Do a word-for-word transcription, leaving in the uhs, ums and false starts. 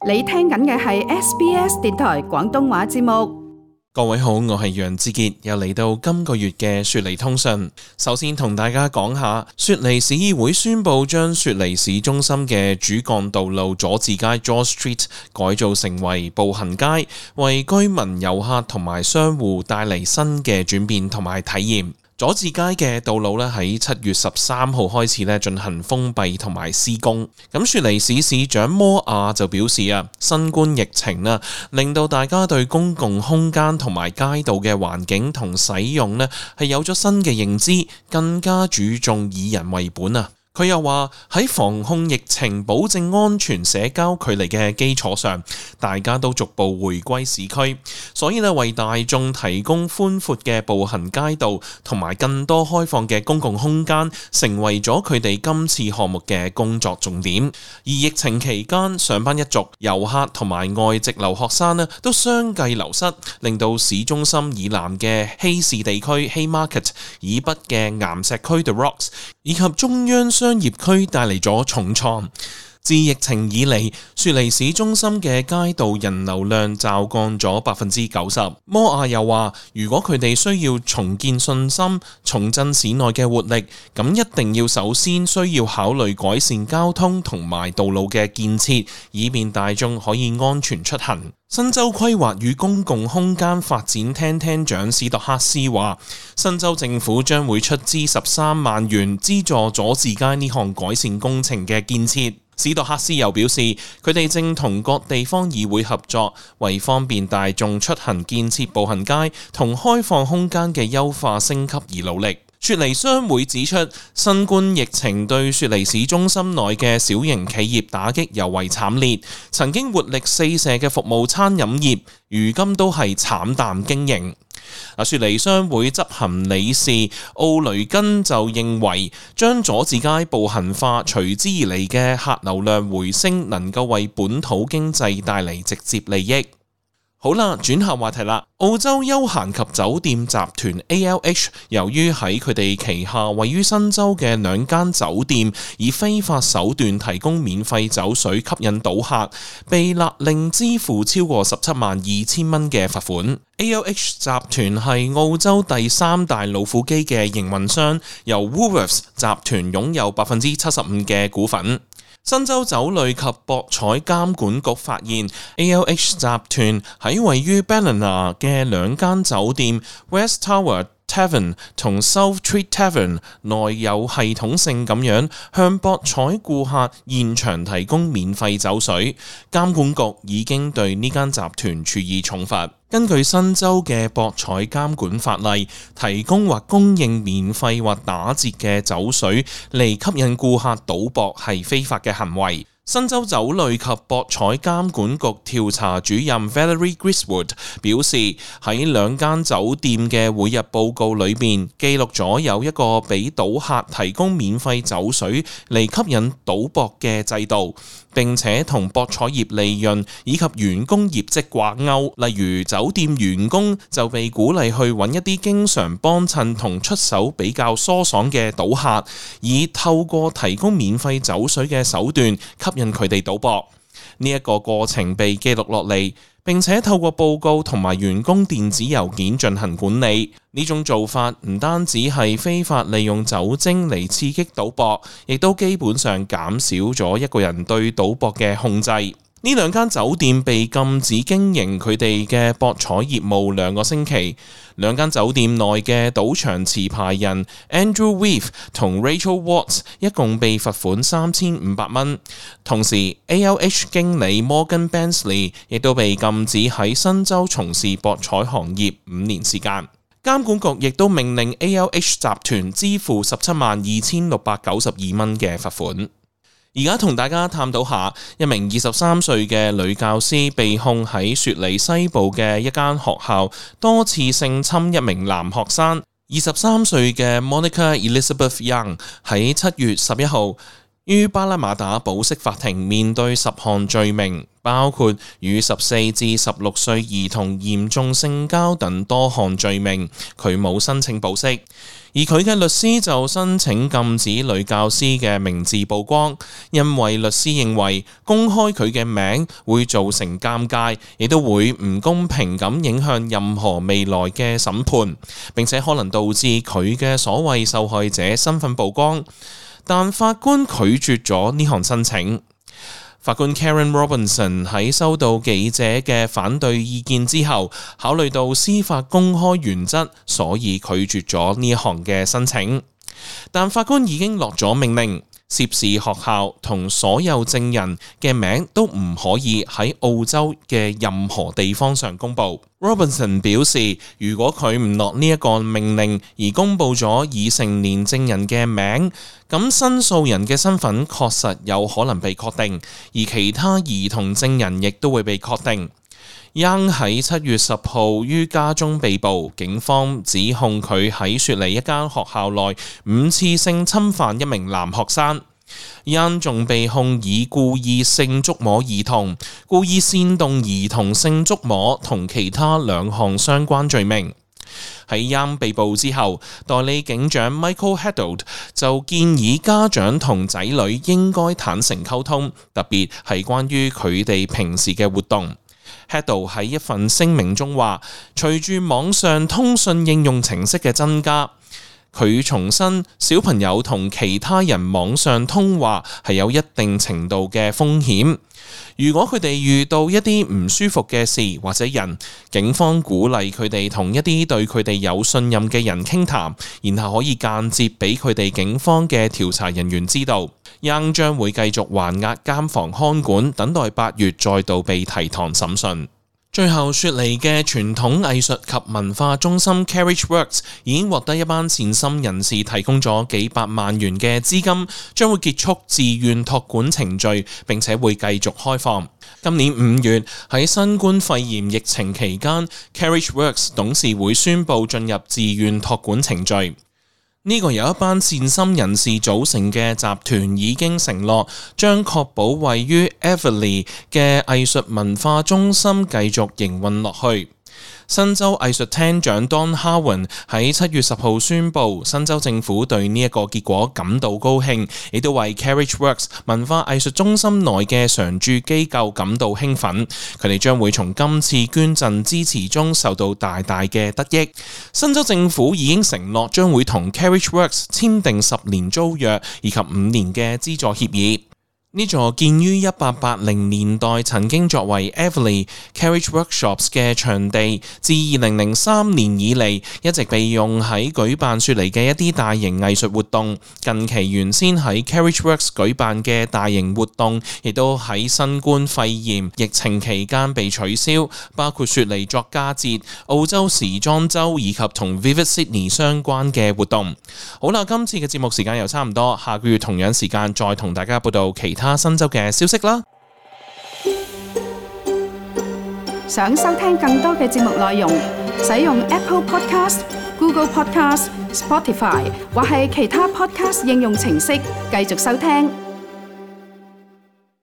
你聽緊嘅係 S B S 電台廣東話節目。各位好，我係楊志傑，又嚟到今個月嘅雪梨通訊。首先同大家講下，雪梨市議會宣布將雪梨市中心嘅主幹道路佐治街 George Street 改造成為步行街，為居民、遊客同埋商戶帶嚟新嘅轉變同埋體驗。佐治街嘅道路咧喺七月十三號開始咧進行封閉同埋施工。咁雪梨市市長摩亞就表示啊，新冠疫情啊令到大家對公共空間同埋街道嘅環境同使用咧係有咗新嘅認知，更加注重以人為本啊。佢又話喺防控疫情、保證安全社交距離嘅基礎上，大家都逐步回歸市區，所以呢為大眾提供寬闊嘅步行街道同埋更多開放嘅公共空間，成為咗佢哋今次項目嘅工作重點。而疫情期間，上班一族、遊客同埋外籍留學生呢都相繼流失，令到市中心以南嘅希士地區 Haymarket 以北嘅岩石區 The Rocks 以及中央商業區帶嚟咗重創。自疫情以嚟，雪梨市中心嘅街道人流量驟降咗百分之九十。摩亞又話，如果佢哋需要重建信心、重振市內嘅活力，咁一定要首先需要考慮改善交通同埋道路嘅建設，以便大眾可以安全出行。新州規劃與公共空間發展廳廳長史特克斯話，新州政府將會出資十三萬元資助佐治街呢項改善工程嘅建設。史特克斯又表示，佢哋正同各地方議會合作，為方便大眾出行建設步行街同開放空間嘅優化升級而努力。雪梨商會指出，新冠疫情對雪梨市中心內嘅小型企業打擊尤為慘烈，曾經活力四射嘅服務餐飲業，如今都係慘淡經營。雪梨商會執行理事奧雷根就認為，將佐治街步行化隨之而嚟嘅客流量回升，能夠為本土經濟帶嚟直接利益。好啦，轉下話題啦。澳洲休閒及酒店集團 A L H 由於喺佢哋旗下位於新州嘅兩間酒店以非法手段提供免費酒水吸引賭客，被勒令支付超過十七萬二千蚊嘅罰款。A L H 集團係澳洲第三大老虎機嘅營運商，由 Woolworths 集團擁有百分之七十五嘅股份。新州酒類及博彩監管局發現 A L H 集團喺位於 Ballina 嘅兩間酒店 West Tower Tavern 同 South Street Tavern 內有系統性咁樣向博彩顧客現場提供免費酒水，監管局已經對呢間集團處以重罰。根據新州嘅博彩監管法例，提供或供應免費或打折嘅酒水嚟吸引顧客賭博係非法嘅行為。新州酒類及博彩監管局調查主任 Valerie Griswold 表示，喺兩間酒店嘅每日報告裏面記錄咗有一個俾賭客提供免費酒水嚟吸引賭博嘅制度，並且同博彩業利潤以及員工業績掛鈎。例如酒店員工就被鼓勵去揾一啲經常幫襯同出手比較疏爽嘅賭客，以透過提供免費酒水嘅手段吸引佢哋賭博。呢一個過程被記錄落嚟，並且透過報告同埋員工電子郵件進行管理。呢種做法唔單止係非法利用酒精嚟刺激賭博，亦都基本上減少咗一個人對賭博嘅控制。呢兩間酒店被禁止經營佢哋嘅博彩業務兩個星期。兩間酒店內嘅賭場持牌人 Andrew Weave 同 Rachel Watts 一共被罰款三千五百蚊。同時 A L H 經理 Morgan Bensley 亦都被禁止喺新州從事博彩行業五年時間。監管局亦都命令 A L H 集團支付十七萬二千六百九十二蚊嘅罰款。而家同大家探討下，一名二十三歲嘅女教師被控喺雪梨西部嘅一間學校多次性侵一名男學生。二十三歲嘅 Monica Elizabeth Young 喺七月十一號於巴拉馬達保釋法庭面對十項罪名，包括與十四至十六歲兒童嚴重性交等多項罪名，佢冇申請保釋。而佢嘅律師就申請禁止女教師嘅名字曝光，因為律師認為公開佢嘅名會造成尷尬，亦都會唔公平咁影響任何未來嘅審判，並且可能導致佢嘅所謂受害者身份曝光。但法官拒絕咗呢項申請。法官 Karen Robinson 喺收到記者嘅反對意見之後，考慮到司法公開原則，所以拒絕咗呢一項嘅申請。但法官已經落咗命令，涉事學校同所有證人嘅名都唔可以喺澳洲嘅任何地方上公佈。Robinson 表示，如果佢唔落呢一個命令而公佈咗已成年證人嘅名，咁申訴人嘅身份確實有可能被確定，而其他兒童證人亦都會被確定。Young 喺七月十號於家中被捕，警方指控佢喺雪梨一間學校內五次性侵犯一名男學生。Young 仲被控以故意性觸摸兒童、故意煽動兒童性觸摸同其他兩項相關罪名。喺 Young 被捕之後，代理警長 Michael Haddold 就建議家長同仔女應該坦誠溝通，特別係關於佢哋平時嘅活動。Haddold 喺一份聲明中話，隨住網上通訊應用程式嘅增加，佢重申小朋友同其他人網上通話係有一定程度嘅風險。如果佢哋遇到一啲唔舒服嘅事或者人，警方鼓勵佢哋同一啲對佢哋有信任嘅人傾談，然後可以間接俾佢哋警方嘅調查人員知道。Young 將會繼續還押監房看管，等待八月再度被提堂審訊。最後，雪梨嘅傳統藝術及文化中心 Carriage Works 已經獲得一班善心人士提供咗幾百萬元嘅資金，將會結束自願託管程序，並且會繼續開放。今年五月喺新冠肺炎疫情期間 ，Carriage Works 董事會宣布進入自願託管程序。呢個由一班善心人士組成嘅集團已經承諾，將確保位於 Everleigh 嘅藝術文化中心繼續營運落去。新州藝術廳長 Don Harwin 喺七月十號宣布，新州政府對呢一個結果感到高興，亦都為 Carriage Works 文化藝術中心內嘅常駐機構感到興奮。佢哋將會從今次捐贈支持中受到大大嘅得益。新州政府已經承諾將會同 Carriage Works 簽訂十年租約以及五年嘅資助協議。呢座建於一八八零年代，曾經作為 Everleigh Carriage Workshops 嘅場地，自二零零三年以嚟一直被用喺舉辦雪梨嘅一啲大型藝術活動。近期原先喺 Carriage Works 舉辦嘅大型活動，亦都喺新冠肺炎疫情期間被取消，包括雪梨作家節、澳洲時裝週以及同 Vivid Sydney 相關嘅活動。好啦，今次嘅節目時間又差唔多，下個月同樣時間再同大家報道其他新州嘅消息啦。想收聽更多嘅節目內容，使用 Apple Podcast、Google Podcast、Spotify 或係其他 Podcast 應用程式繼續收聽。